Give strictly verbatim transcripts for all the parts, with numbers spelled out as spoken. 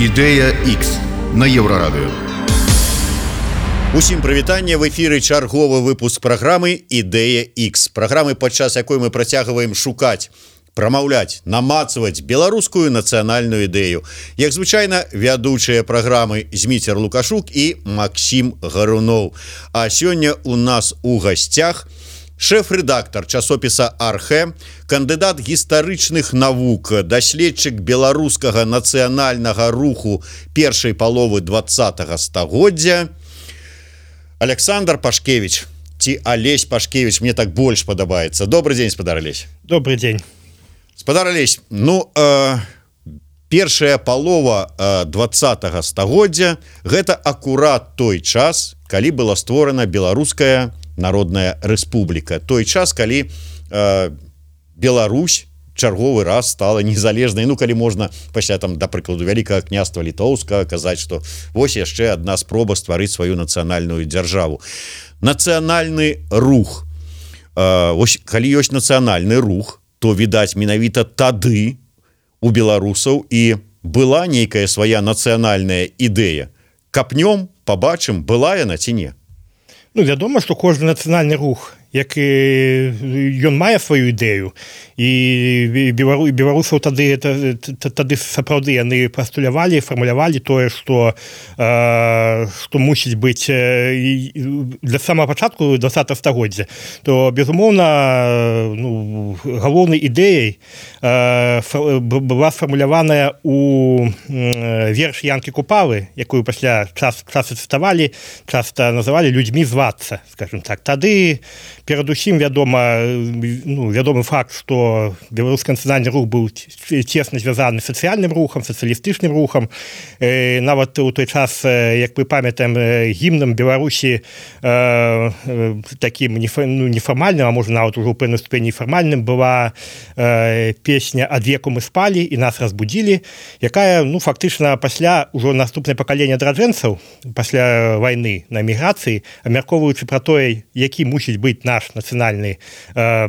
Ідэя X на Еўрарадыё. Усім прывітанне, в эфіры чарговы выпуск праграмы Ідэя X. Праграмы, падчас якой мы працягваем шукаць, прамаўляць, намацваць беларускую нацыянальную ідэю. Як звычайна, вядучыя праграмы Зміцер Лукашук і Максім Гаруноў. А сёння у нас у гасцях шэф-рэдактар часопіса «Архэ», кандыдат гістарычных навук, даследчык беларускага нацыянальнага руху першай паловы двадцатага стагоддзя Александр Пашкевич, ці Алесь Пашкевич, мне так больш падабаецца. Добрый дзень, спадар Алесь. Добрый дзень. Спадар Алесь, ну, э, першая палова э, двадцатага стагоддзя – гэта акурат той час, калі была створана Беларуская Народная Рэспубліка. Той час, калі э, Беларусь чарговы раз стала незалежнай, ну, калі можна пасля, там, да прыкладу, вялікага княства літоўскага казаць, што вось яшчэ адна спроба стварыць сваю нацыянальную дзяржаву. Нацыянальны рух. Э, вось, калі ёсць нацыянальны рух, то, відаць, менавіта тады у беларусаў і была нейкая свая нацыянальная ідэя. Капнём, пабачым, была яна ці не? Ну, вядома, што кожны нацыянальны рух, як і ён мае сваю ідэю, і белару, беларусаў тады тады сапраўды яны пастулявалі, фармулявалі тое, што э, што мусіць быць э, для самага пачатку двадцатага стагоддзя, то безумоўна, ну, галоўнай ідэяй э, была сфармуляваная у э, верш Янкі Купалы, якую пасля час часу цытавалі, часта называлі людзьмі звацца, скажем так. Тады перадусім вядома, ну, вядомы факт, што беларускі нацыянальны рух быў цесна звязаны з сацыяльным рухам, сацыялістычным рухам. Э, нават у той час, як мы памятаем, гімнам Беларусі э, такім ну, нефармальным, а можа нават ужо ў пэўнай ступені фармальным, была э, песня «Ад веку мы спалі і нас разбудзілі», якая, ну, фактычна пасля ўжо наступнае пакаленне адраджэнцаў, пасля вайны на эміграцыі, абмяркоўваючы пра тое, які мусіць быць наш нацыянальны, э,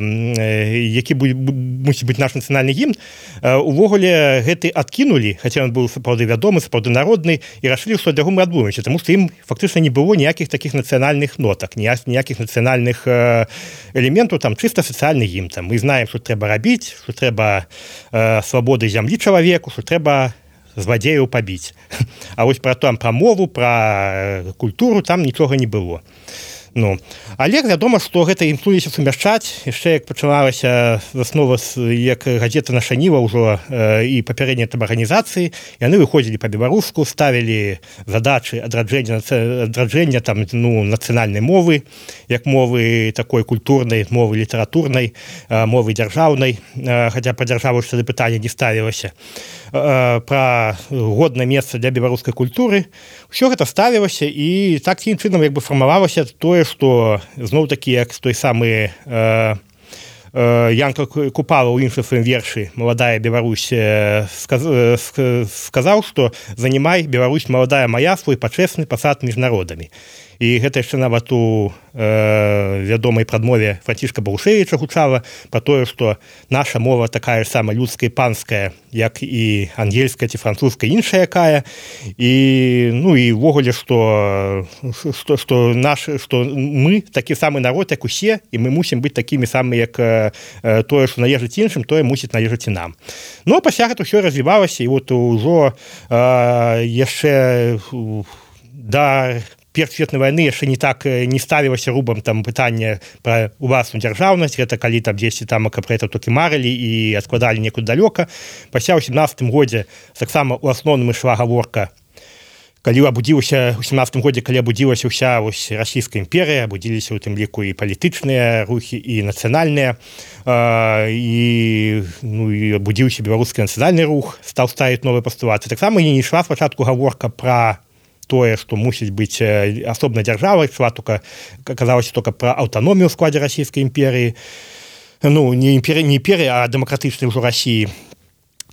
які мусіць быць наш нацыянальны гімн, э, увогуле гэты адкінулі, хаця ён быў сапраўды вядомы, сапраўды народны, і рашылі, што ад яго мы адмовімся, таму што ім фактычна не было ніякіх такіх нацыянальных нотак, ніякіх нацыянальных э, элементаў, там чыста сацыяльны гімн. Там мы знаем, што трэба рабіць, што трэба э, свабоды зямлі чалавеку, што трэба злодзеяў пабіць. А вось пра там пра мову, пра культуру там нічога не было. Ну, але вядома, што гэта імкнуліся сумяшчаць, яшчэ як пачалася заснова, як газета «Наша Ніва» ўжо э, і папярэднія там арганізацыі, яны выходзілі па-беларуску, ставілі задачы адраджэння, адраджэння там, ну, нацыянальнай мовы, як мовы такой культурнай, мовы літаратурнай, э, мовы дзяржаўнай, э, хаця па дзяржаву што пытанне не ставілася, э, пра годнае месца для беларускай культуры. Усё гэта ставілася, і такім чынам як бы фармавалася тое, што зноў-такі, як той самы э, э, Янка Купала ў іншым сваім вершы «Маладая Беларусь» э, сказ, э, сказаў, што «Занімай, Беларусь, маладая моя, свой пачэсны пасад між народамі». І гэта яшчэ нават у э, вядомай прадмове Францішка Барушевіча гучала пра тое, што наша мова такая ж сама людская і панская, як і ангельская ці французская, іншая якая. І, ну, і ўвогуле, што, што, што, наш, што мы такі самы народ, як усе, і мы мусім быць такімі самі, як э, тое, што належыць іншым, тое мусіць належыць і нам. Ну, а пасля гэта ўсё развівалася, і от ужо э, яшчэ да Першай светнай вайны яшчэ не так не ставілася рубам там пытанне пра уласную дзяржаўнасць, гэта калі там дзесьці там пра гэта толькі марылі і адкладалі некуды далёка. Пасля ў сямнадцатым годзе таксама ў асноўным ішла гаворка, калі абудзілася ў сямнадцатым годзе, калі абудзілася ўся вось расійская імперыя, абудзіліся ў тым ліку і палітычныя рухі, і нацыянальныя, э, і, ну, і абудзіўся беларускі нацыянальны рух, стаў ставіць новыя пастулаты. Таксама не ішла спачатку гаворка пра тое, што мусіць быць асобнай дзяржавай, ішла толькі, казалася толькі пра аўтаномію ў складзе расійскай імперыі, ну, не імперыі, не імперыі, а дэмакратычнай ужо Расіі.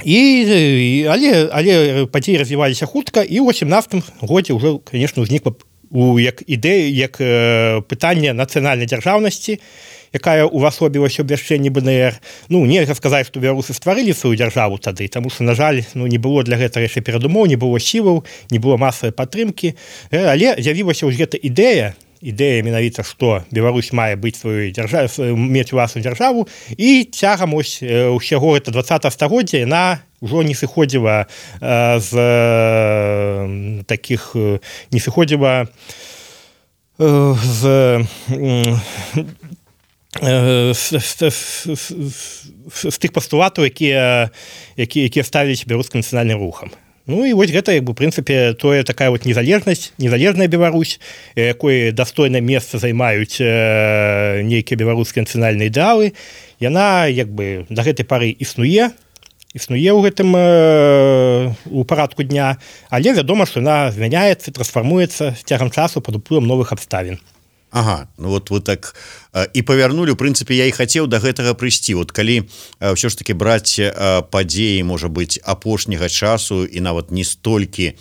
І, але, але падзеі развіваліся хутка, і ў сямнадцатым годзе ўжо, конечно, узнікла у як ідэя, як э, пытанне нацыянальнай дзяржаўнасці, якая увасобілася ў абвяшчэнні БНР. Ну, нельга сказаць, што беларусы стварылі сваю дзяржаву тады, таму што, на жаль, ну, не было для гэтага яшчэ перадумоў, не было сілаў, не было масавай падтрымкі, але з'явілася ўжо гэта ідэя, ідэя менавіта, што Беларусь мае быць сваю дзяржаву, мець уласную дзяржаву, і цягам ось усяго гэта двадцатага стагоддзя яна ўжо не сыходзіла з такіх, не сыходзіла з з тых пастулатаў, якія якія якія ставіліся беларускім нацыянальным рухам. Ну і вось гэта, як бы, у прынцыпе, тое такая вот незалежнасць, незалежная Беларусь, якой дастойнае месца займаюць нейкія беларускія нацыянальныя ідэалы, яна, як бы, да гэтай пары існуе, існуе ў гэтым у парадку дня, але вядома, што яна змяняецца, трансфармуецца з цягам часу пад уплывам новых абставін. Ага, ну вот вы так э, і павярнулі, у прынцыпе, я і хацеў да гэтага прыйсці. Вот калі э, ўсё ж такі браць э, падзеі, можа быць, апошняга часу і нават не столькі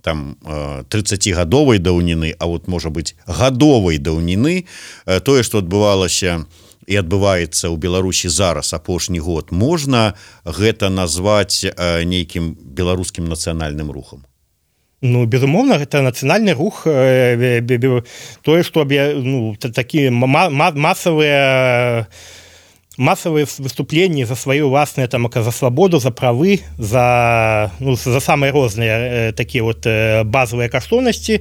там э, трыццацігадовай даўніны, а вот, можа быць, гадовай даўніны, э, тое, што адбывалася і адбываецца ў Беларусі зараз апошні год, можна гэта назваць э, нейкім беларускім нацыянальным рухам? Ну, безумоўна, гэта нацыянальны рух, тое, што ну, такія масавыя масавыя выступленні за свае ўласныя, там, за свабоду, за правы, за, ну, за самыя розныя такія вот базавыя каштоўнасці,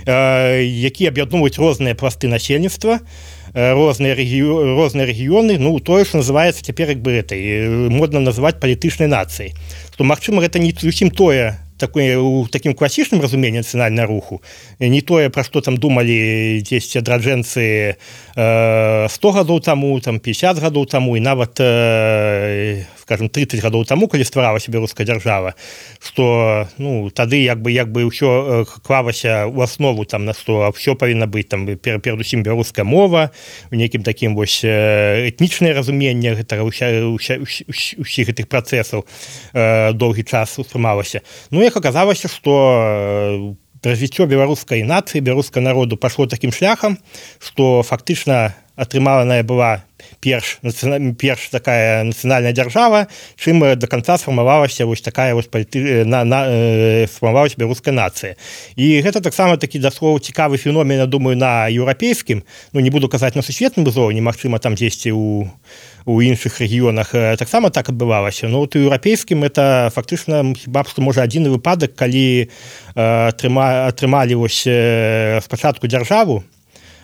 якія аб'ядноўваюць розныя пласты насельніцтва, розныя рэгіё, розныя рэгіёны, ну, тое, што называецца цяпер, як бы, этой, модна называць палітычнай нацыяй. Што, магчыма, гэта не зусім тое, такое, у такім класічным разуменні нацыянальнага руху, не тое, пра што там думалі дзесьці адраджэнцы э, сто гадоў таму, там пятьдесят гадоў таму і нават э, скажем тридцать гадоў таму, калі стваралася беларуская дзяржава, што, ну, тады як бы як бы ўсё клалася ў аснову там на што ўсё павінна быць там перадусім беларуская мова, у нейкім такім вось этнічнае разуменне гэтага ўсіх гэтых працэсаў э, доўгі час успрымалася. Ну, як аказалася, што развіццё беларускай нацыі, беларускага народу пайшло такім шляхам, што фактычна атрыманая была перш, перш такая нацыянальная дзяржава, чым до конца сфармавалася вось такая вось паліты... на, на, сфармавалася беларуская нацыя. І гэта таксама такі даслоў цікавы феномен, я думаю, на еўрапейскім, ну, не буду казаць на сусветным узроўні, магчыма, там дзесьці ў у іншых рэгіёнах таксама так адбывалася. Но вот у еўрапейскім это фактычна хіба што можа адзіны выпадак, калі атрыма, атрымалі вось спачатку дзяржаву,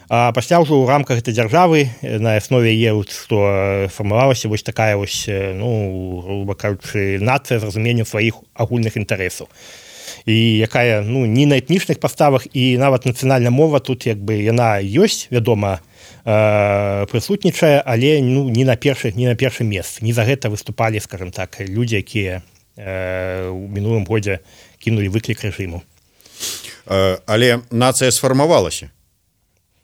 а пасля ўжо ў рамках гэтай дзяржавы на аснове яе, што фармавалася вось такая вось, ну, груба кажучы, нацыя з разуменнем сваіх агульных інтарэсаў. І якая, ну, не на этнічных паставах, і нават нацыянальная мова тут, як бы, яна ёсць, вядома, э, прысутнічае, але, ну, не на першых, не на першым месцы. Не за гэта выступалі, скажем так, людзі, якія э, у мінулым годзе кінулі выклік рэжыму. Э, але нацыя сфармавалася?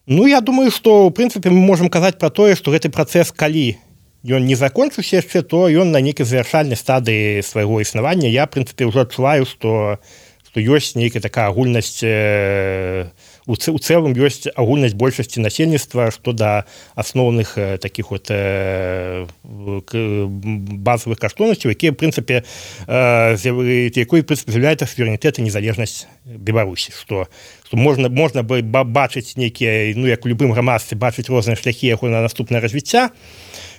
Ну, я думаю, што, ў прынцыпе, мы можам казаць пра тое, што гэты працэс, калі ён не закончыўся яшчэ, то ён на нейкай завяршальнай стадыі свайго існавання. Я, в прынцыпе, ўжо адчуваю, што, што ёсць нейкая такая агульнасць, э, у, ц, у цэлым ёсць агульнасць большасці насельніцтва, што да асноўных э, такіх вот э, базавых каштоўнасцяў, якія, в прынцыпе, э, якой, в прынцыпе, з'яўляецца суверэнітэт і незалежнасць Беларусі, што што можна, можна бы бачыць нейкія, ну, як у любым грамадстве, бачыць розныя шляхі яго на наступнае развіцця,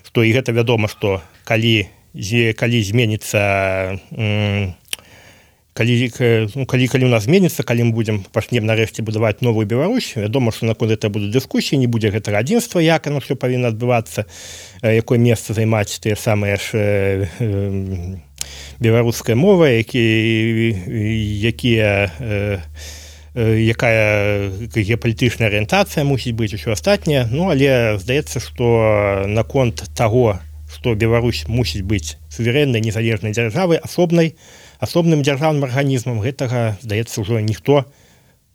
што і гэта вядома, што калі, калі зменіцца, калі, ну, калі, калі у нас зменіцца, калі мы будзем пачнем нарэшце будаваць новую Беларусь, вядома, што наконт гэта будуць дыскусіі, не будзе гэтага адзінства, як оно ўсё павінна адбывацца, якое месца займаць тыя самыя ж беларуская мова, якія, якія якая геапалітычная арыентацыя мусіць быць, усё астатняе. Ну, але здаецца, што наконт таго, што Беларусь мусіць быць суверэннай незалежнай дзяржавай, асобнай, асобным дзяржаўным арганізмам, гэтага, здаецца, ўжо ніхто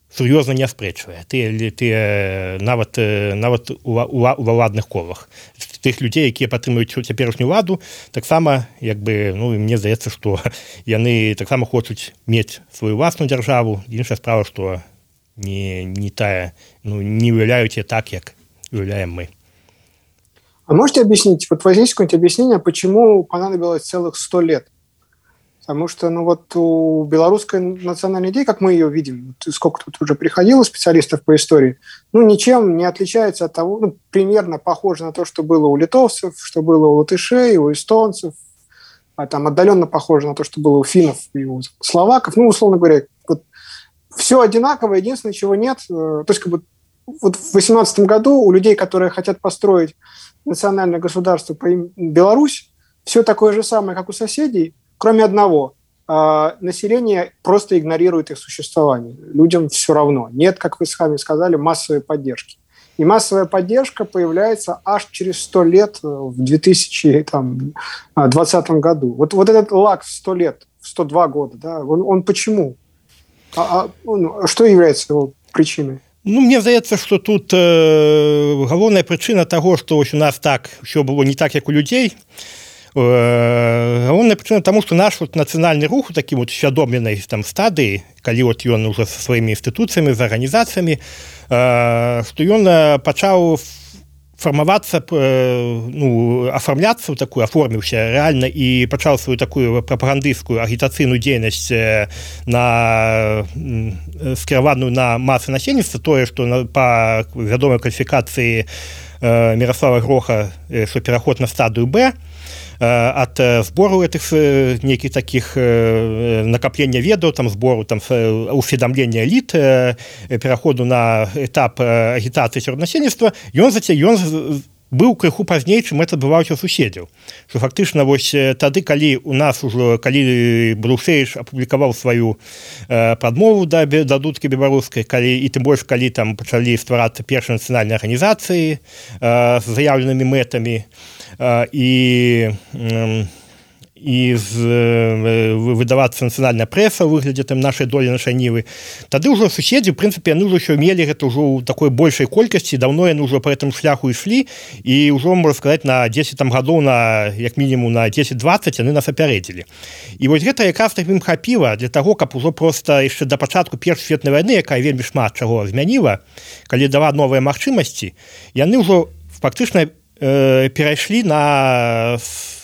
сур'ёзна не аспрэчвае. Ты, ты нават, нават у, у, у ўладных колах. Тых людзей, якія падтрымаюць цяперашнюю ўладу, таксама, як бы, ну, мне здаецца, што яны таксама хочуць мець сваю ўласную дзяржаву. Іншая справа, што не, не тая, ну, не уяўляюць яе так, як уяўляем мы. А можете объяснить, вот возьмите какое-нибудь объяснение, почему понадобилось целых сто лет? Потому что, ну вот у белорусской национальной идеи, как мы ее видим, сколько тут уже приходило специалистов по истории, ну ничем не отличается от того, ну примерно похоже на то, что было у литовцев, что было у латышей, у эстонцев, а там отдаленно похоже на то, что было у финнов и у словаков. Ну, условно говоря, вот все одинаково, единственное, чего нет. То есть как бы вот в восемнадцатом году у людей, которые хотят построить национальное государство по имени Беларусь, все такое же самое, как у соседей, кроме одного. Население просто игнорирует их существование. Людям все равно. Нет, как вы сами сказали, массовой поддержки. И массовая поддержка появляется аж через сто лет в две тысячи двадцатом году. Вот, вот этот лаг в сто лет, в сто два года, да, он, он почему? А, а, ну, что является его причиной? Ну, мне здаецца, што тут э, галоўная прычына таго, што вось у нас так ўсё было не так, як у людзей. Э, галоўная прычына таму, што наш вот, нацыянальны рух у такім вот усвядомленай там стадыі, калі от ён уже са сваімі інстытуцыямі, з арганізацыямі, э, што ён пачаў фармавацца, ну, афармляцца ў такую, аформіўся рэальна і пачаў сваю такую прапагандысцкую агітацыйную дзейнасць на скіраваную на масы насельніцтва, тое, што па вядомай кваліфікацыі Міраслава Гроха, што пераход на стадыю Б, ад збору этих нейкіх таких накаплення ведаў, там збору там усведамлення эліт, пераходу на этап агітацыі сярод насельніцтва, ён заце ён быў крыху пазней, чым это адбываўся ў суседзяў. Што фактычна вось тады, калі у нас ужо калі Брушевіч апублікаваў сваю прадмову да, да дудкі беларускай, калі і тым больш калі там пачалі стварацца першыя нацыянальныя арганізацыі з заяўленымі мэтамі, і і з, выдавацца нацыянальная прэса ў выглядзе там нашай долі, нашай нівы. Тады ўжо суседзі, в прынцыпе, яны ўжо мелі гэта ўжо ў такой большай колькасці, даўно яны ўжо па гэтым шляху ішлі, і ўжо, можна сказаць, на дзесяць там гадоў, на, як мінімум на дзесяць-дваццаць яны нас апярэдзілі. І вось гэта якраз так ім хапіла для таго, каб ужо проста яшчэ да пачатку Першай светнай вайны, якая вельмі шмат чаго змяніла, калі дала новыя магчымасці, яны ўжо фактычна э, перайшлі на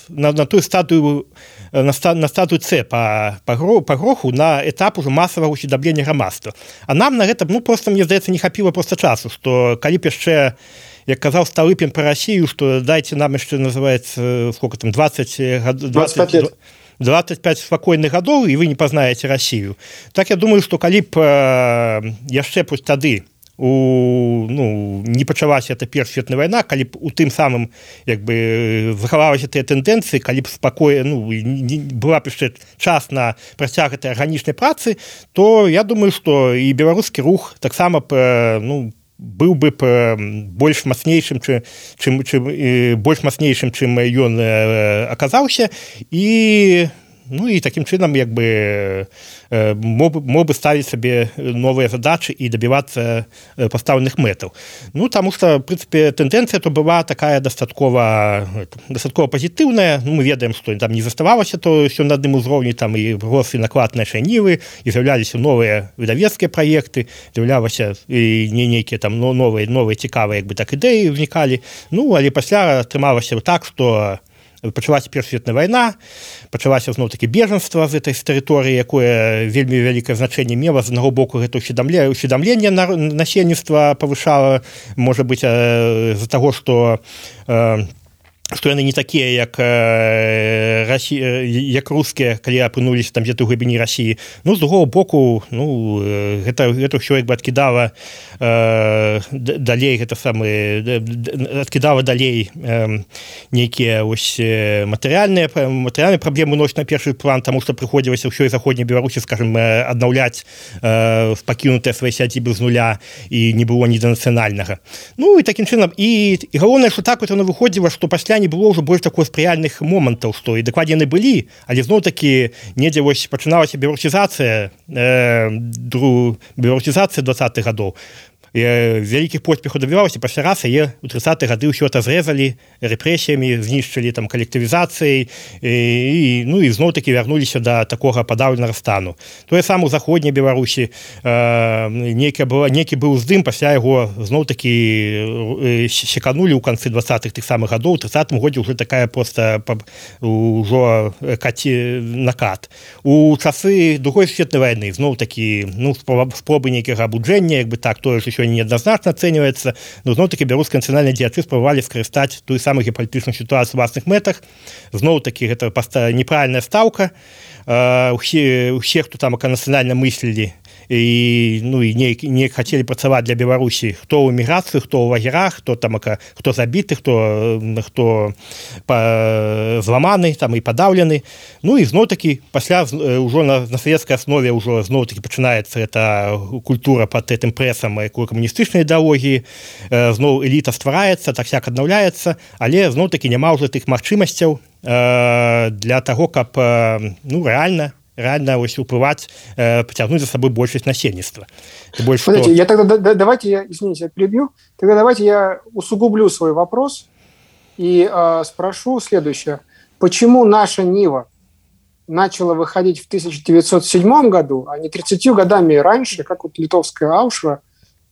На, на тую стадыю на, на стадыю С па, па, па гроху на этап уже масавага усведамлення грамадства. А нам на гэта, ну, просто, мне здаецца, не хапіла просто часу, што калі б яшчэ, як казаў Сталыпін пра Расію, што дайце нам яшчэ, называецца, сколько там, двадцать двадцать лет. двадцать пять спакойных гадоў, і вы не пазнаеце Расію. Так я думаю, што калі б э, яшчэ пусть тады у, ну, не пачалася эта Першая светная вайна, калі б у тым самым як бы захавалася тыя тэндэнцыі, калі б спакой, ну, не, была б яшчэ час на працяг гэтай арганічнай працы, то я думаю, што і беларускі рух таксама б, ну, быў бы больш мацнейшым, чым, чым, чым, больш мацнейшым, чым ён аказаўся, і ну і такім чынам як бы мог, мог бы ставіць сабе новыя задачы і дабівацца пастаўленых мэтаў. Ну, таму што, в прынцыпе, тэндэнцыя то была такая дастаткова, дастаткова пазітыўная. Ну, мы ведаем, што там не заставалася то ўсё на адным узроўні, там і рос і наклад нашай нівы, і з'яўляліся новыя выдавецкія праекты, з'яўлялася і не нейкія там новыя, новыя цікавыя як бы так ідэі ўзнікалі. Ну, але пасля атрымалася так, што пачалася Першая светная вайна, пачалася зноў-такі бежанства з этой тэрыторыі, якое вельмі вялікае значэнне мела. З аднаго боку, гэта ўсведамленне насельніцтва павышала, можа быць, з-за таго, што што яны не такія, як Расі... як рускія, калі апынуліся там дзе-то ў глыбіні Расіі. Ну, з другого боку, ну, гэта, гэта ўсё як бы адкідала э, далей, гэта самы, адкідала далей э, нейкія ось матэрыяльныя, матэрыяльныя праблемы носіць на першы план, таму што прыходзілася ўсё і заходняй Беларусі, скажем, аднаўляць э, пакінутыя свае сядзібы з нуля, і не было ні да нацыянальнага. Ну, і такім чынам, і, і галоўнае, што так вот яно выходзіла, што пасля не было ўжо больш такой спрыяльных момантаў, што і дакладне яны былі, але зноў-такі недзе вось пачыналася беларусізацыя, э, дру, беларусізацыя двадцатых гадоў. вялікіх поспехаў дабівалася, пасля раз яе ў трыццатыя гады ўсё это зрэзалі рэпрэсіямі, знішчылі там калектывізацыяй і, ну, і зноў-такі вярнуліся да такога падаўленага стану. Тое самае ў заходняй Беларусі нейкі быў здым, пасля яго зноў-такі секанулі ў канцы двадцатых тых самых гадоў, у трыццатым годзе ўжо такая проста ўжо каці накат. У часы другой сусветнай вайны зноў-такі, ну, спробы нейкага абуджэння, як бы так, тое ж еще неадназначна ацэньваецца, но зноў-такі беларускія нацыянальныя дзеячы спрабавалі скарыстаць тую самую геапалітычную сітуацыю ў власных мэтах. Зноў-такі гэта неправільная стаўка. Усе, усе, хто там нацыянальна мыслілі і, ну, і неяк, неяк хацелі працаваць для Беларусі, хто ў эміграцыі, хто ў лагерах, хто там, хто забіты, хто, хто па, зламаны там і падаўлены. Ну і зноў-такі пасля ўжо на, на савецкай аснове ўжо зноў-такі пачынаецца эта культура пад гэтым прэсам камуністычнай ідэалогіі, зноў эліта ствараецца, так-сяк аднаўляецца, але зноў-такі няма ўжо тых магчымасцяў для таго, каб, ну, рэальна реально ось уплывать, э, потянуть за собой большесть насельництва. Больше Смотрите, что... я тогда, да, давайте я, извините, я перебью, тогда давайте я усугублю свой вопрос и э, спрошу следующее. Почему наша Нива начала выходить в тысяча девятьсот седьмом году, а не тридцатью годами раньше, как вот литовская Аушва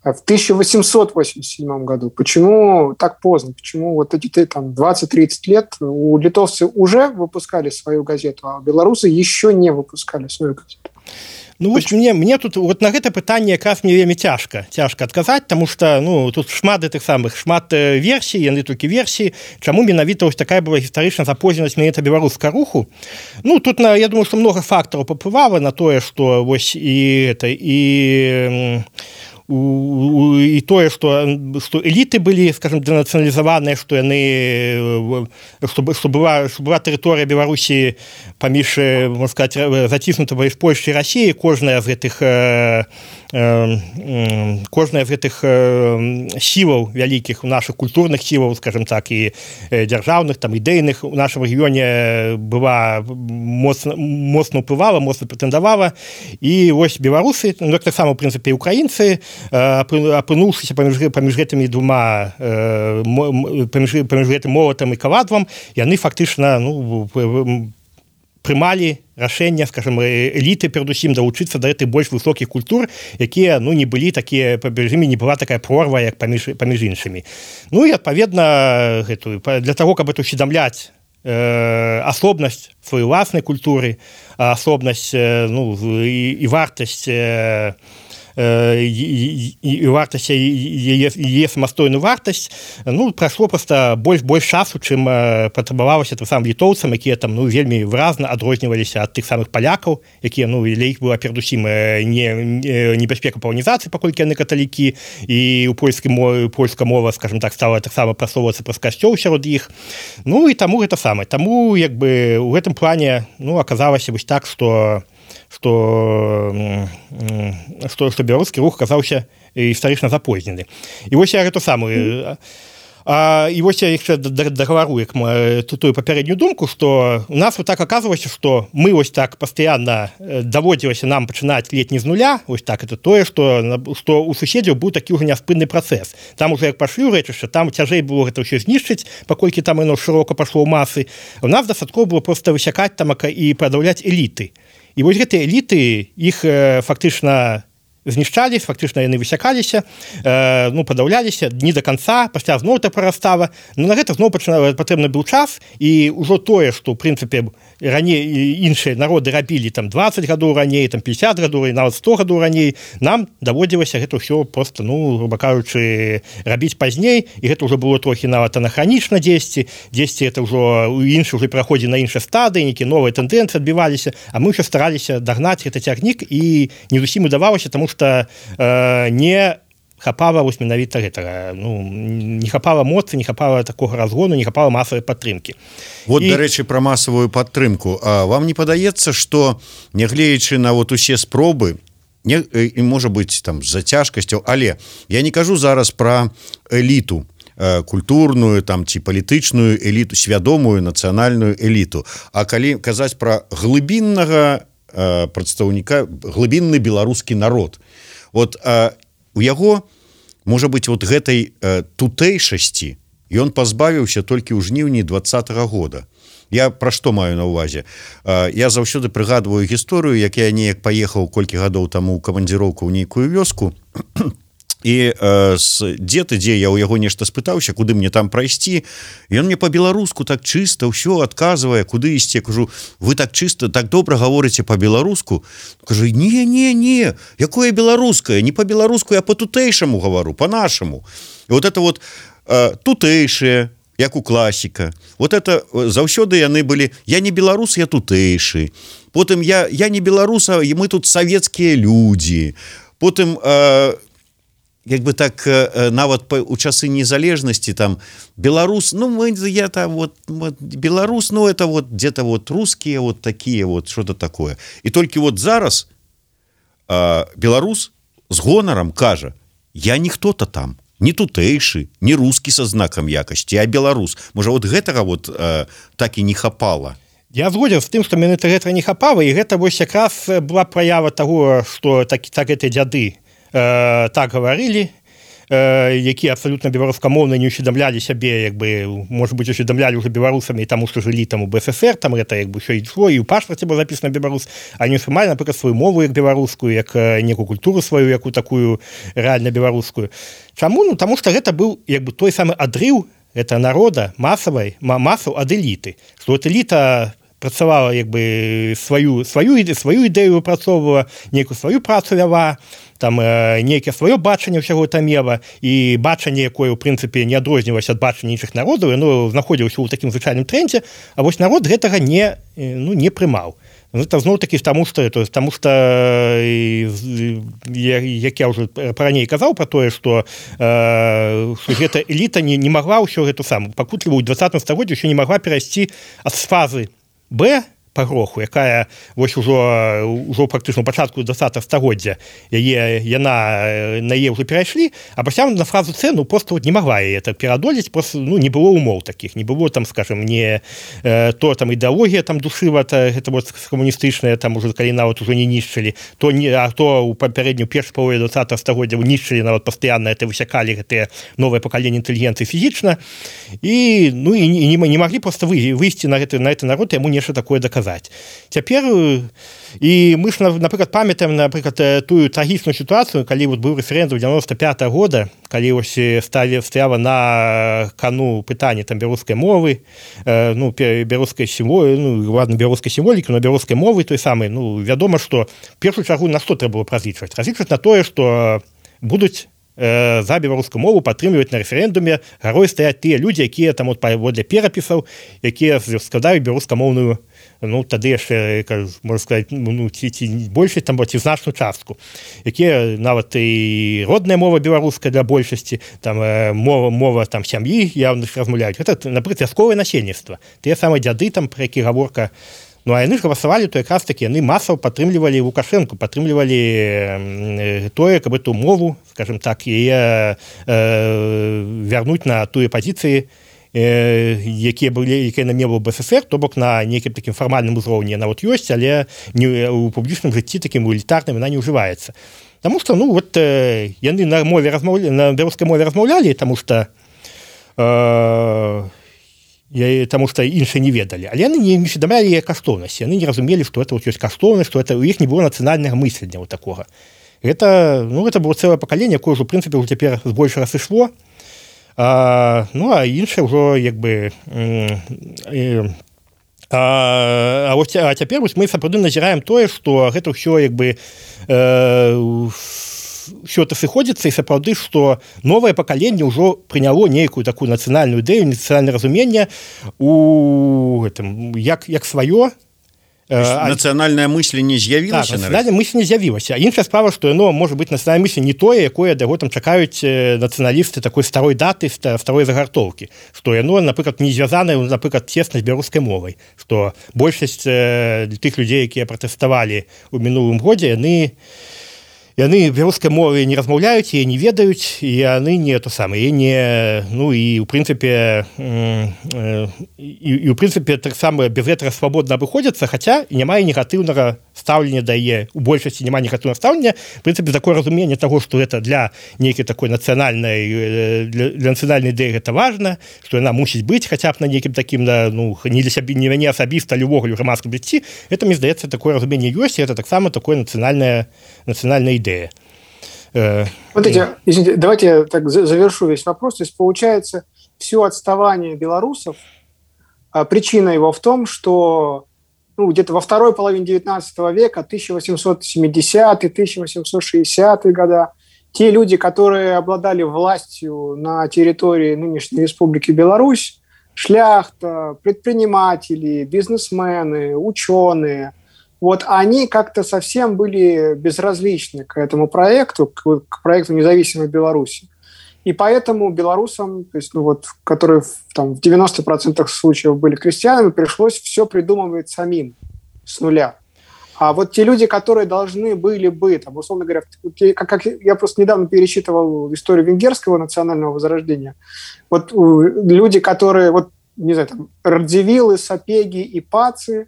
в тысяча восемьсот восемьдесят седьмом году? Почему так поздно? Почему вот эти там двадцать-тридцать лет у литовцы уже выпускали свою газету, а белорусы еще не выпускали свою газету? Ну, вось мне, мне тут вот на гэта пытанне якраз мне вельмі цяжка цяжка адказаць, таму што, ну, тут шмат гэтых самых шмат версій, яны толькі версіі, чаму менавіта вось такая была гістарычна запозненасць менавіта беларускага руху. Ну, тут на, я думаю, што многа фактараў паўплывала на тое, што вось і это і і тое, што, што эліты былі, скажем, дэнацыяналізаваныя, што яны, што, што, была, што была тэрыторыя Беларусі паміж, можна сказаць, заціснута паміж Польшчай і Расіяй, кожная з гэтых э, э, кожная з гэтых э, сілаў вялікіх, у нашых культурных сілаў, скажем так, і дзяржаўных, там, ідэйных у нашым рэгіёне была моцна, моцна ўплывала, моцна прэтэндавала, і вось беларусы, ну, так само, в прынцыпе, і украінцы, апынуўшыся паміж, паміж гэтымі двума паміж, паміж гэтым молатам і кавадвам, яны фактычна, ну, прымалі рашэнне, скажем, эліты перадусім далучыцца да гэтых больш высокіх культур, якія, ну, не былі такія, паміж імі не была такая прорва, як паміж, паміж іншымі. Ну і адпаведна гэтую, для таго, каб это усведамляць э, асобнасць сваёй уласнай культуры, асобнасць, э, ну, і, і вартасць э, і, і вартасць яе, яе самастойную вартасць, ну, прайшло проста больш больш часу, чым патрабавалася тым самым літоўцам, якія там, ну, вельмі выразна адрозніваліся ад тых самых палякаў, якія, ну, для іх была перадусім не небяспека паланізацыі, паколькі яны каталікі, і ў польскай мове польская мова, скажем так, стала таксама прасоўвацца праз касцёл сярод іх. Ну і таму гэта самае. Таму, як бы, у гэтым плане, ну, аказалася вось так, што што, што, што беларускі рух аказаўся гістарычна запознены. І вось я гэту самую... А, і вось я яшчэ дагавару, як тую папярэднюю думку, што у нас вот так аказвалася, што мы вось так пастаянна даводзілася нам пачынаць ледзь не з нуля, вось так, это тое, што, што у суседзяў быў такі ўжо няспынны працэс. Там уже як пашлі ў рэчышча, там цяжэй было гэта ўсё знішчыць, паколькі там яно шырока пашло ў масы. У нас дастаткова было проста высякаць там і падаўляць эліты. І вось гэтыя эліты, іх э, фактычна знішчалі, фактычна яны высякаліся, э, ну, падаўляліся не до конца, пасля зноў это прарастала. Ну, на гэта зноў патрэбны быў час, і ўжо тое, што, ў прынцыпе, раней іншыя народы рабілі там двадцать гадоў раней, там пятьдесят гадоў, нават сто гадоў раней, нам даводзілася гэта ўсё проста, ну, груба кажучы, рабіць пазней, і гэта ўжо было трохі нават анахранічна дзесьці, дзесьці это ўжо іншы ўжо пераходзі на іншыя стадыі, нейкія новыя тэндэнцыі адбіваліся, а мы ўсё стараліся дагнаць гэты цягнік, і не зусім удавалася, таму што э, не хапала вось менавіта гэтага, ну, не хапала моцы, не хапала такога разгону, не хапала масавай падтрымкі. Вот, і... дарэчы, пра масавую падтрымку. А вам не падаецца, што, нягледзячы на вот усе спробы, не, і можа быць там з-за цяжкасцяў, але я не кажу зараз пра эліту, культурную там ці палітычную эліту, свядомую нацыянальную эліту, а калі казаць пра глыбіннага прадстаўніка, глыбінны беларускі народ. Вот а, у яго можа быть вот гэтай э, тутэйшасці ён пазбавіўся толькі ў жніўні двадцатага года. Я пра што маю на ўвазе? Я заўсёды прыгадваю гісторыю, як я неяк паехаў колькі гадоў таму ў камандзіроўку ў нейкую вёску, і э, з дзеты, дзе я ў яго нешта спытаўся, куды мне там прайсці, і ён мне па-беларуску так чыста ўсё адказвае, куды ісці. Я кажу, вы так чыста, так добра гаворыце па-беларуску. Кажу, не, не, не, якое беларускае, не па-беларуску, я па-тутэйшаму гавару, па-нашаму. І вот это вот э, тутэйшае, як у класіка. Вот это заўсёды яны былі, я не беларус, я тутэйшы. Потым я, я не беларуса, і мы тут савецкія людзі. Потым э, як бы так э, нават па, у часы незалежнасці там беларус, ну мы я там вот, вот беларус, ну это вот где-то вот русские вот такие вот, что-то такое. І толькі вот зараз э, беларус з гонарам кажа, я ніхто-то там. Не тутэйшы, не рускі са знакам якасці, а беларус. Можа, вот гэтага вот э, так і не хапала. Я згоден з тым, што менавіта гэтага не хапала, і гэта вось якраз была праява таго, што так, так гэтыя дзяды э, так гаварылі, э, якія абсалютна беларускамоўна не усведамлялі сябе, як бы, можа быць, усведамлялі ўжо беларусамі, таму што жылі там у БССР, там гэта як бы ўсё ішло, і ў пашпарце было запісана беларус, а не ўспрымалі, напрыклад, сваю мову як беларускую, як некую культуру сваю, якую такую рэальна беларускую. Чаму? Ну, таму што гэта быў як бы той самы адрыў гэта народа масавай масаў ад эліты, што от эліта працавала як бы сваю сваю сваю ідэю выпрацоўвала, нейкую сваю працу вяла, там э, нейкае сваё бачанне ўсяго там мела, і бачанне, якое ў прынцыпе не адрознівалася ад бачання іншых народаў, яно знаходзілася ў такім звычайным трендзе, а вось народ гэтага не, ну, не прымаў. Это зноў-такі таму што то таму што як я ўжо параней казаў пра тое, што э, гэта эліта не, не магла ўсё гэту саму пакутлівую ў двадцатым стагоддзі ўсё не магла перайсці ад фазы Б па гроху, якая вось ужо ўжо практычна ў пачатку двадцатага стагоддзя яе яна на яе ўжо перайшлі, а пасля на фразу С ну просто вот не магла яе это пераадолець, просто ну не было умоў такіх, не было там, скажем, не э, то там ідэалогія там душыва, гэта вот камуністычная, там уже калі нават ужо не нішчылі, то не а то ў папярэднюю першую палову двадцатага стагоддзя нішчылі нават пастаянна, это высякалі гэтыя новыя пакаленні інтэлігенцыі фізічна, і ну і не, не маглі просто выйсці на гэты на гэты народ, яму нешта такое даказаць. Цяпер і мы ж, напрыклад, памятаем, напрыклад, тую трагічную сітуацыю, калі вот быў рэферэндум дзевяносто пятого года, калі вось сталі стаяла на кану пытанне там беларускай мовы, э, ну беларускай сімволі, ну ладно, беларускай сімволікі, но беларускай мовы той самай, ну вядома, што в першую чаргу на што трэба было разлічваць? Разлічваць на тое, што будуць за беларускую мову падтрымліваць на рэферэндуме, гарой стаяць тыя людзі, якія там от паводле перапісаў, якія складаюць беларускамоўную, ну тады яшчэ, можна сказаць, ну ці, ці большасць там ці значную частку, якія нават і родная мова беларуская для большасці, там мова мова там сям'і явно размаўляюць. Гэта, напрыклад, вясковае насельніцтва, тыя самыя дзяды там, пра які гаворка. Ну, а яны ж галасавалі, то якраз такі яны масава падтрымлівалі Лукашэнку, падтрымлівалі тое, каб эту мову, скажем так, яе э, вярнуць на тую пазіцыі, э, якія былі, якія на мелу БССР, то бок на нейкім такім фармальным узроўні яна вот ёсць, але не, у публічным жыцці такім элітарным яна не ўжываецца. Таму што, ну, вот э, яны на мове размаўлялі, на беларускай мове размаўлялі, таму што э, Я, таму што іншыя не ведалі, але яны не усведамлялі яе каштоўнасць, яны не разумелі, што это вот ёсць каштоўнасць, што это у іх не было нацыянальнага мыслення вот такога. Гэта, ну, гэта было цэлае пакаленне, якое ўжо, у прынцыпе, ўжо цяпер збольш разышло, а, ну, а іншае ўжо, як бы, э, а, а, вось, а цяпер вось мы сапраўды назіраем тое, што гэта ўсё, як бы, э, все это сыходзіцца, і сапраўды, што новае пакаленне ўжо прыняло нейкую такую нацыянальную ідэю, нацыянальнае разуменне у гэтым, як, як сваё. Нацыянальнае мысленне з'явілася? Так, нацыянальнае мысленне з'явілася. Іншая справа, што яно можа быць нацыянальнае мысленне не тое, якое да яго там чакаюць нацыяналісты такой старой даты, старой загартоўкі, што яно, напрыклад, не звязанае, напрыклад, цесна з беларускай мовай, што большасць тых людзей, якія пратэставалі ў мінулым годзе, яны яны беларускай мовы не размаўляюць і не ведаюць і яны не то самае не ну і у прынцыпе і, і у прынцыпе таксама без гэтага свабодна абыходзяцца, хаця і няма і негатыўнага стаўлення дае у большасці няма негатыўнага стаўлення в прынцыпе такое разуменне таго, што гэта для нейкай такой нацыянальнай для, для нацыянальнай ідэі гэта важна, што яна мусіць быць хаця б на нейкім такім на ну не для сябе не мяне асабіста любога грамадскага жыцці. Это мне здаецца такое разуменне ёсць, і это таксама такое нацыянальная нацыянальная идея. Вот эти, извините, давайте я так завершу весь вопрос. То есть получается, все отставание белорусов, причина его в том, что ну, где-то во второй половине девятнадцатого века, тысяча восемьсот семидесятые, тысяча восемьсот шестидесятые годы, те люди, которые обладали властью на территории нынешней Республики Беларусь, шляхта, предприниматели, бизнесмены, ученые, вот они как-то совсем были безразличны к этому проекту, к, к проекту независимой Беларуси. И поэтому белорусам, то есть, ну вот, которые там, в девяноста процентах случаев были крестьянами, пришлось все придумывать самим с нуля. А вот те люди, которые должны были бы, там, условно говоря, как, как я просто недавно пересчитывал историю венгерского национального возрождения, вот люди, которые, вот, не знаю, там, Радзивиллы, Сапеги и Пацы,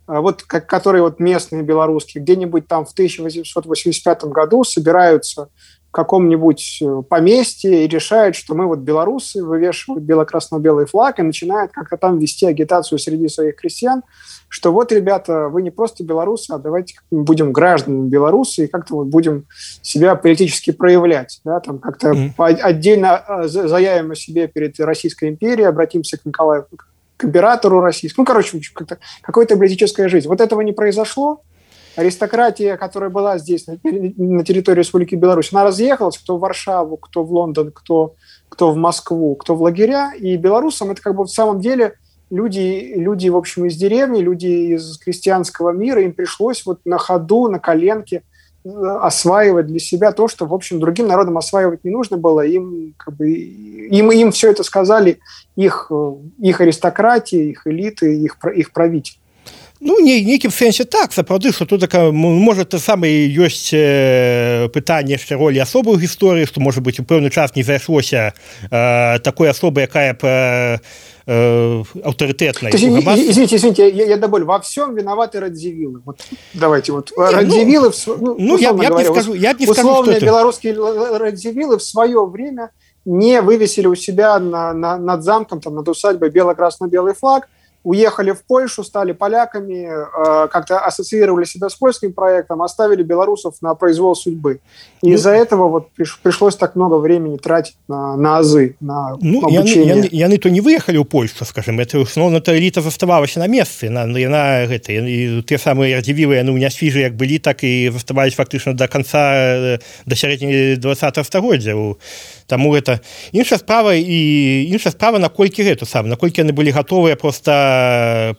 вот, как, которые вот местные белорусские, где-нибудь там в тысяча восемьсот восемьдесят пятом году собираются в каком-нибудь поместье и решают, что мы вот белорусы, вывешивают бело-красно-белый флаг и начинают как-то там вести агитацию среди своих крестьян, что вот, ребята, вы не просто белорусы, а давайте будем гражданами белорусы и как-то вот будем себя политически проявлять, да, там как-то mm-hmm. отдельно заявим о себе перед Российской империей, обратимся к Николаю, к императору российскому, ну, короче, как-то, какая-то политическая жизнь. Вот этого не произошло. Аристократия, которая была здесь, на, на территории Республики Беларусь, она разъехалась, кто в Варшаву, кто в Лондон, кто, кто в Москву, кто в лагеря. И белорусам это как бы в самом деле люди, люди, в общем, из деревни, люди из крестьянского мира, им пришлось вот на ходу, на коленке осваивать для себя то, что, в общем, другим народам осваивать не нужно было. Им, как бы, им, им все это сказали их, их аристократия, их элиты, их, их правители. Ну, не, нейкім сэнсе так, сапраўды, што тут така, можа, те саме ёсць э, пытанне яшчэ ролі асобы ў гісторыі, што, можа быць, у пэўны час не зайшлося э, такой асобы, якая б э, э, аўтарытэтная. Извините, извините, я, я добавлю, во всем виноваты Радзивиллы. Вот, давайте, вот, не, Радзивиллы, ну, ну, я, я, говоря, не скажу, я не скажу, условные белорусские Радзивиллы в свое время не вывесили у себя на, на, над замком, там, над усадьбой бело-красно-белый флаг, уехали в Польшу, стали поляками, э, как-то ассоциировали себя с польским проектом, оставили белорусов на произвол судьбы. И ну, из-за этого вот приш, пришлось так много времени тратить на, на азы, на ну, обучение. Яны, яны то не выехали ў Польшу, скажем, это основно-то эліта заставалася на месцы, на, на, гэта, і те самые Радзивиллы, яны ў нясвіжы як былі, так і заставались фактычна до конца, до сярэдзіны двадцатага стагоддзя. Таму гэта іншая справа і іншая справа, наколькі гэта сам, наколькі яны былі гатовыя проста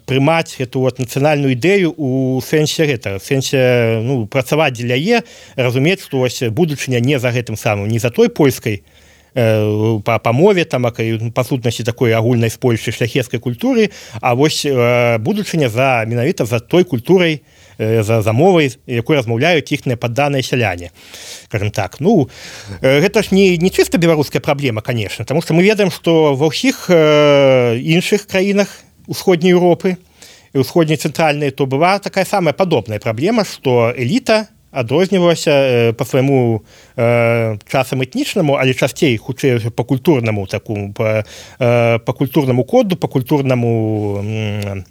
прымаць эту вот нацыянальную ідэю у сэнсе гэта, в сэнсе ну, працаваць дзеля яе, разумець, што вось будучыня не за гэтым самым, не за той польскай э, па, па мове, там, па сутнасці такой агульнай з Польшчы шляхецкай культуры, а вось э, будучыня за менавіта за той культурай, За, за мовай, якой размаўляюць іхныя падданыя сяляне, скажем так. Ну, гэта ж не, не чыста беларуская праблема, конечно, потому что мы ведаем, што ва ўсіх э, іншых краінах усходняй Европы і усходняй цэнтральнай то была такая самая падобная праблема, што эліта адрознівалася по свайму э, часам этнічнаму, але часцей хутчэй по культурнаму такому, по, э, по культурнаму коду, по культурнаму э,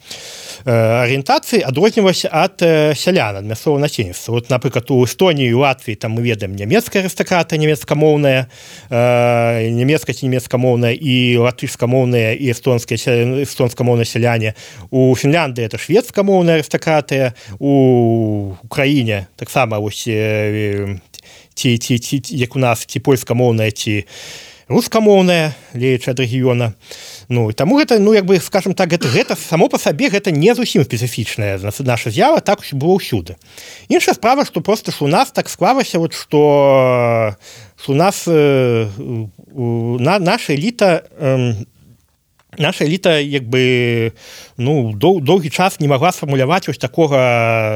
арыентацыі адрознівалася ад э, сялян, ад мясцовага насельніцтва. Вот, напрыклад, у Эстоніі і Латвіі там мы ведаем нямецкая арыстакрата, нямецкамоўная, э, нямецкая ці нямецкамоўная і латышскамоўная і эстонская эстонскамоўная сяляне. У Фінляндыі это шведскамоўная арыстакратыя, у Украіне таксама вось ці, ці, ці, як у нас ці польскамоўная, ці рускамоўная, леючы ад рэгіёна. Ну, і таму гэта, ну, як бы, скажем так, гэта, гэта само па сабе гэта не зусім спецыфічная наша з'ява, так было ўсюды. Іншая справа, што проста ж у нас так склалася, вот, што у нас э, на, наша эліта э, наша эліта, як бы, ну, дол, доўгі час не магла сфармуляваць вось такога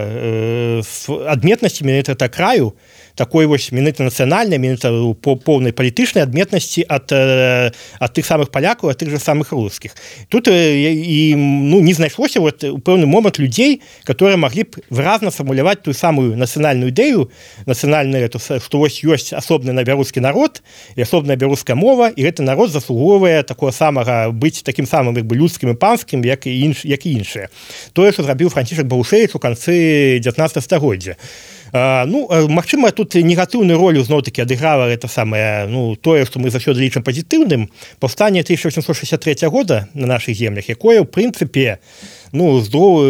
э, адметнасці менавіта краю, такой вось менавіта нацыянальнай, менавіта по поўнай палітычнай адметнасці ад, ад тых самых палякаў, ад тых же самых рускіх. Тут і ну, не знайшлося вот, у пэўны момант людзей, которые маглі б выразна фармуляваць тую самую нацыянальную ідэю, нацыянальную, што вось ёсць асобны на беларускі народ і асобная беларуская мова, і гэты народ заслугоўвае такого самага быць такім самым як бы людскім і панскім, як і інш, як і іншыя. Тое, што зрабіў Францішак Балушевіч у канцы дзевятнаццатага стагоддзя. Uh, ну, магчыма, тут негатыўную ролю зноў-такі адыграла это самае, ну, тое, што мы заўсёды лічым пазітыўным, паўстанне тысяча восемьсот шестьдесят третьего года на нашых землях, якое, ў прынцыпе, ну, здоров,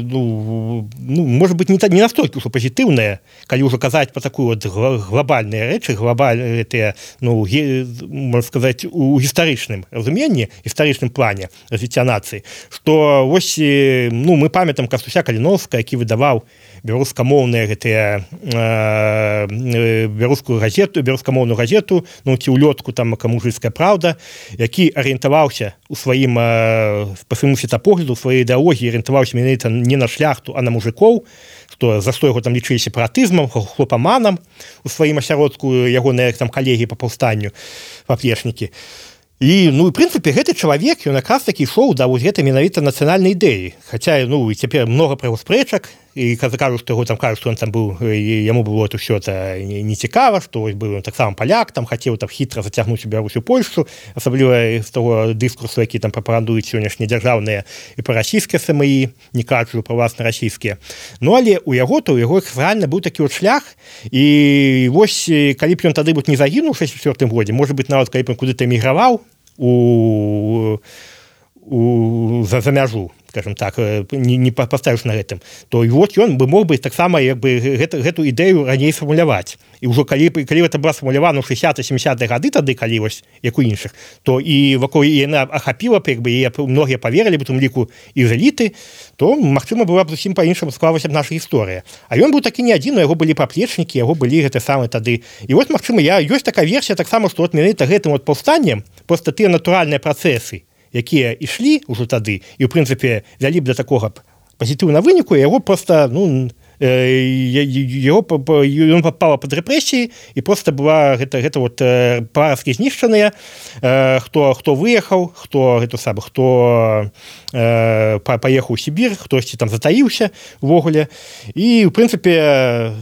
ну, ну, может быть, не, не настолько ўжо пазітыўнае, калі ўжо казаць па такую вот глобальныя рэчы, глобальныя, ну, ге, можна сказаць, у гістарычным разуменні, гістарычным плане развіцця нацыі, што вось, ну, мы памятаем Кастуся Каліновскага, які выдаваў беларускамоўныя гэтыя э, беларускую газету, беларускамоўную газету, ну ці ўлётку там камужыцкая праўда, які арыентаваўся у сваім э, па свайму светапогляду, у сваёй ідэалогіі арыентаваўся менавіта не на шляхту, а на мужикоў, што за што яго там лічылі сепаратызмам, хлопаманам у сваім асяродку ягоныя там калегі па паўстанню, паплечнікі. І, ну, в прынцыпе, гэты чалавек, ён якраз такі ішоў да вось гэтай менавіта нацыянальнай ідэі. Хаця, ну, цяпер многа пра яго спрэчак, і кажуць, што яго там кажуць, што ён там быў, яму было это ўсё это не цікава, што быў ён таксама паляк, там хацеў там хітра зацягнуць у Беларусь у Польшчу, асабліва з таго дыскурсу, які там прапагандуюць сённяшнія дзяржаўныя і парасійскія эс эм і, не кажучы пра власна расійскія. Ну, але у яго, то у яго рэальна быў такі от шлях, і вось, калі б ён тады быў не загінуў у шэсцьдзесят чвёртым годзе, можа быць, нават калі б ён куды-то эміграваў, у, у, за, за мяжу, скажем так, не, не паставіш на гэтым, то і вот ён бы мог бы таксама як бы гэта, гэту ідэю раней фармуляваць. І ўжо калі, калі гэта была сфармулявана ў шэсцьдесят-семидесятыя гады тады, калі вось, як у іншых, то і вакол яна ахапіла б, як бы, і многія паверылі б у тым ліку і з эліты, то, магчыма, была б зусім па-іншаму склалася б наша гісторыя. А ён быў такі не адзін, у яго былі паплечнікі, яго былі гэты самы тады. І вось, магчыма, я, ёсць такая версія таксама, што от менавіта гэтым от паўстаннем проста тыя натуральныя працэсы, якія ішлі ўжо тады, і, ў прынцыпе, вялі б да такога пазітыўнага выніку, яго проста, ну, яго, ён папала пад рэпрэсіі, і проста была гэта, гэта вот парасткі знішчаныя, хто, хто выехаў, хто, гэта сам, хто э, паехаў у Сібір, хтосьці там затаіўся увогуле, і, ў прынцыпе,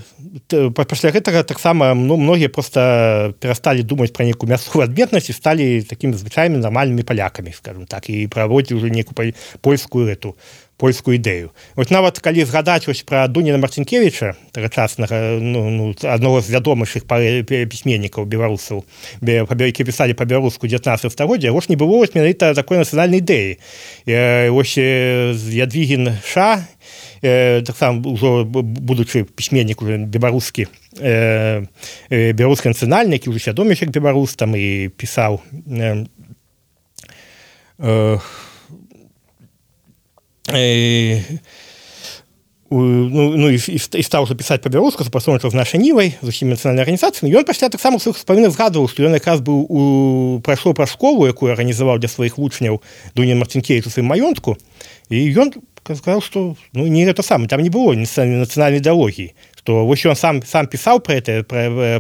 пасля гэтага таксама ну, многія проста перасталі думаць пра нейкую мясцовую адметнасць і сталі такімі звычайнымі нармальнымі палякамі, скажем так, і праводзілі ўжо нейкую польскую эту польскую ідэю. Вось нават калі згадаць вось пра Дуніна Марцінкевіча, тагачаснага, ну, ну, аднаго з вядомых пісьменнікаў беларусаў, які пісалі па-беларуску дзевятнаццатага стагоддзя, вось не было вось менавіта такой нацыянальнай ідэі. Вось Ядвігін Ша, э, таксама ўжо будучы пісьменнік уже беларускі, э, э, беларускі нацыянальны, які ўжо свядоміўся як беларус, там і пісаў э, э, э, ну, ну і, і, і стаў уже пісаць па-беларуску, супрацоўнічаў з нашай нівай, з усімі нацыянальнай арганізацыямі. Ён пасля таксама ў сваіх успамінах згадваў, што ён якраз быў у прайшоў праз школу, якую арганізаваў для сваіх вучняў Дунін Марцінкевіч у сваім маёнтку, і ён сказаў, што ну, не гэта самае, там не было нацыянальнай ідэалогіі, што вось ён сам, сам пісаў пра гэта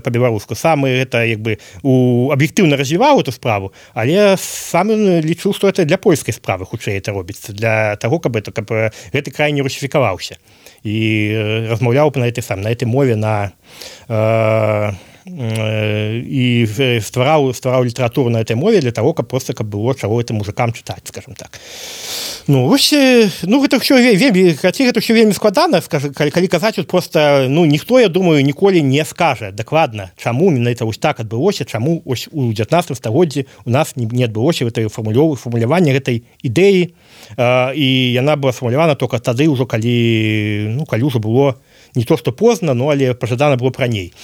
па-беларуску, сам гэта як бы у, аб'ектыўна развіваў эту справу, але сам ён лічыў, што гэта для польскай справы хутчэй это робіцца, для таго, каб, это, каб гэты край не русіфікаваўся. І размаўляў на этой сам, на этой мове, на э, і ствараў, ствараў літаратуру на этой мове для того, каб просто каб было чаго этим мужикам чытаць, скажем так. Ну, вось, ну, гэта ўсё вельмі, хаця гэта ўсё вельмі складана, скажу, калі, калі казаць, вот просто, ну, ніхто, я думаю, ніколі не скажа дакладна, чаму менавіта вось так адбылося, чаму ось у дзевятнаццатым стагоддзі у нас не, не адбылося гэтай фармулявання гэтай ідэі, э, і яна была сфармулявана только тады ўжо, калі, ну, калі ўжо было не то, што позна, ну, але пажадана было раней.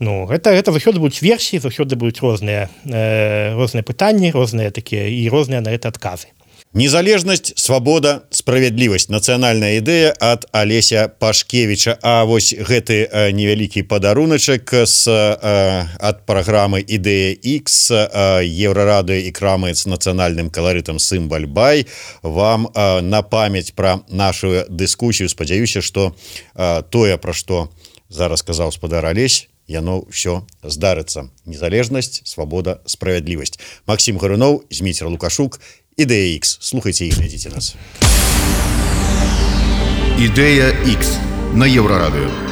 Ну, гэта, гэта заўсёды будуць версіі, заўсёды будуць розныя, э, розныя пытанні, розныя такія і розныя на гэта адказы. Незалежнасць, свабода, справядлівасць. Нацыянальная ідэя ад Алеся Пашкевіча. А вось гэты э, невялікі падаруначак з, э, ад праграмы «Ідэя Х», э, Еўрарадыё і крамы з нацыянальным каларытам «Сымбаль-бай» вам э, на памяць пра нашу дыскусію. Спадзяюся, што э, тое, пра што зараз сказаў спадар Алесь, яно все здарыцца. Незалежнасць, свабода, справядлівасць. Максим Гарунов, Зміцер Лукашук, Ідэя Х. Слухайте і глядзіце нас. Ідэя Х на Еўрарадыё.